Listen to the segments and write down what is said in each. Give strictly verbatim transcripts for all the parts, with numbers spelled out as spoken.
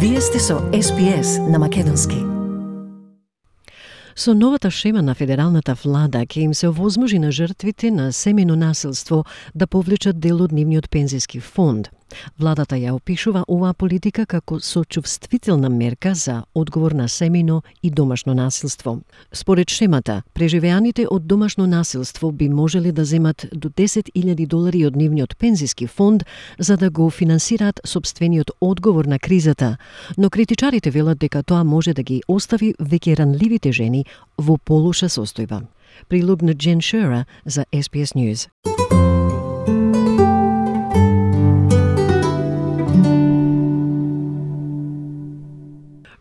Вие сте со Ес Би Ес на македонски. Со новата шема на федералната влада ќе им се овозможи на жртвите на семејно насилство да повлечат дел од нивниот пензиски фонд. Владата ја опишува оваа политика како сочувствителна мерка за одговор на семејно и домашно насилство. Според шемата, преживеаните од домашно насилство би можеле да земат до десет илјади долари од нивниот пензиски фонд за да го финансираат сопствениот одговор на кризата, но критичарите велат дека тоа може да ги остави веќе ранливите жени во полоша состојба. Прилог на Jen Shearer за Ес Би Ес News.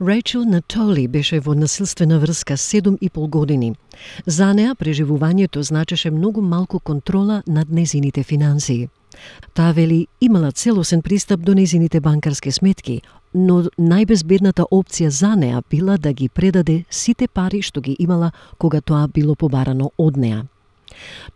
Рейчел Натоли беше во насилствена врска седум и пол години. За неа преживувањето значеше многу малку контрола над незините финансии. Таа вели имала целосен пристап до незините банкарски сметки, но најбезбедната опција за неа била да ги предаде сите пари што ги имала кога тоа било побарано од неа.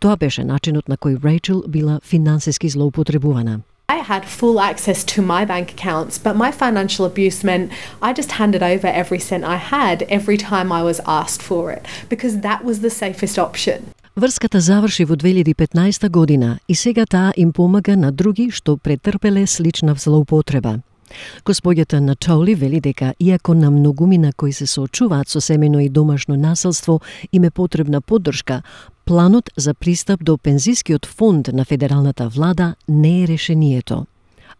Тоа беше начинот на кој Рейчел била финансиски злоупотребувана. I had full access to my bank accounts, but my financial abuse meant I just handed over every cent I had every time I was asked for it, because that was the safest option. Врската заврши во две илјади и петнаесета година и сега таа им помага на други што претрпеле слична злоупотреба. Господјата Натоли вели дека иако на многумина кои се соочуваат со семејно и домашно насилство им е потребна поддршка, планот за пристап до пензискиот фонд на федералната влада не е решението.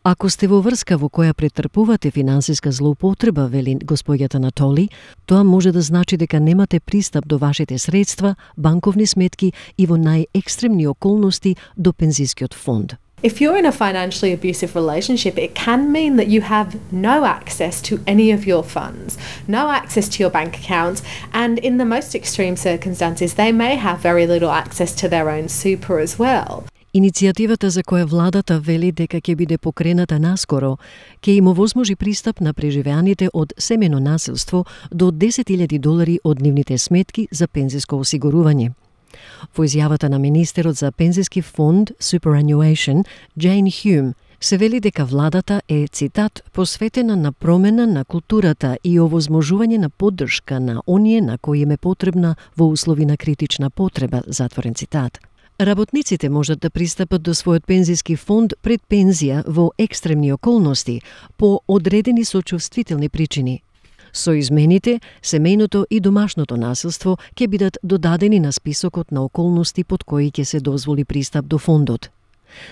Ако сте во врска во која претрпувате финансиска злоупотреба, вели господјата Натоли, тоа може да значи дека немате пристап до вашите средства, банковни сметки и во најекстремни околности до пензискиот фонд. If you're in a financially abusive relationship, it can mean that you have no access to any of your funds, no access to your bank accounts, and in the most extreme circumstances, they may have very little access to their own super as well. Иницијативата за која владата вели дека ќе биде покрената наскоро, ќе им овозможи пристап на преживеаните од семејно насилство до десет илјади долари од нивните сметки за пензиско осигурување. Во изјавата на министерот за пензиски фонд Superannuation, Джейн Хјум, се вели дека владата е, цитат, посветена на промена на културата и овозможување на поддршка на оние на кои им е потребна во услови на критична потреба, затворен цитат. Работниците можат да пристапат до својот пензиски фонд пред пензија во екстремни околности по одредени сочувствителни причини. Со измените, семејното и домашното насилство ќе бидат додадени на списокот на околности под кои ќе се дозволи пристап до фондот.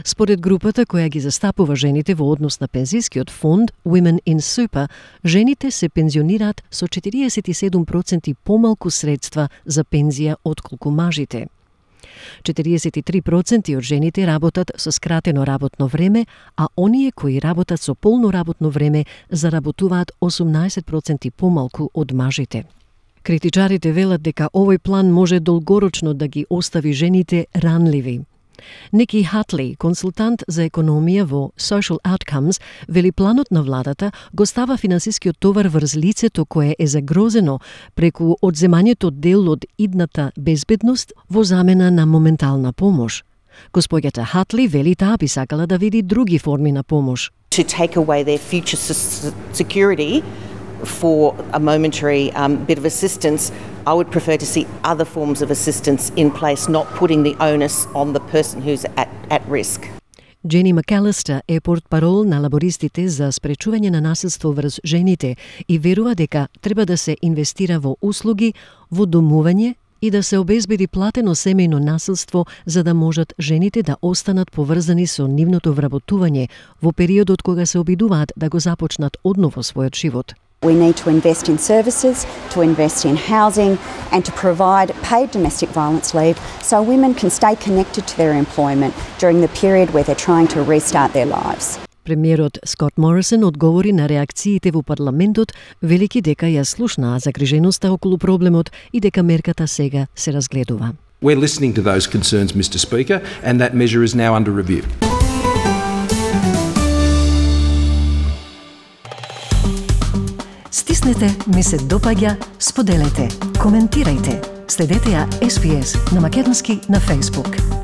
Според групата која ги застапува жените во однос на пензискиот фонд Women in Super, жените се пензионираат со четириесет и седум проценти помалку средства за пензија отколку мажите. четириесет и три проценти од жените работат со скратено работно време, а оние кои работат со полно работно време заработуваат осумнаесет проценти помалку од мажите. Критичарите велат дека овој план може долгорочно да ги остави жените ранливи. Ники Хатли, консултант за економија во Social Outcomes, вели планот на владата го става финансискиот товар врз лицето кое е загрозено преку одземањето дел од идната безбедност во замена на моментална помош. Господјата Хатли вели таа би сакала да види други форми на помош. To take away their future security for a momentary um, bit of assistance, I would prefer to see other forms of assistance in place, not putting the onus on the person who's at, at risk. Джени Макалистер е портпарол на лабористите за спречување на насилство врз жените и верува дека треба да се инвестира во услуги, во домување и да се обезбеди платено семејно насилство за да можат жените да останат поврзани со нивното вработување во периодот кога се обидуваат да го започнат одново својот живот. We need to invest in services, to invest in housing and to provide paid domestic violence leave so women can stay connected to their employment during the period where they're trying to restart their lives. Премиерот Скот Морисон одговори на реакциите во парламентот, велики дека ја слушнаа загриженоста околу проблемот и дека мерката сега се разгледува. We're listening to those concerns, Mister Speaker, and that measure is now under review. Стиснете, ми се допаѓа, споделете, коментирајте. Следете ја Ес Би Ес на македонски на Facebook.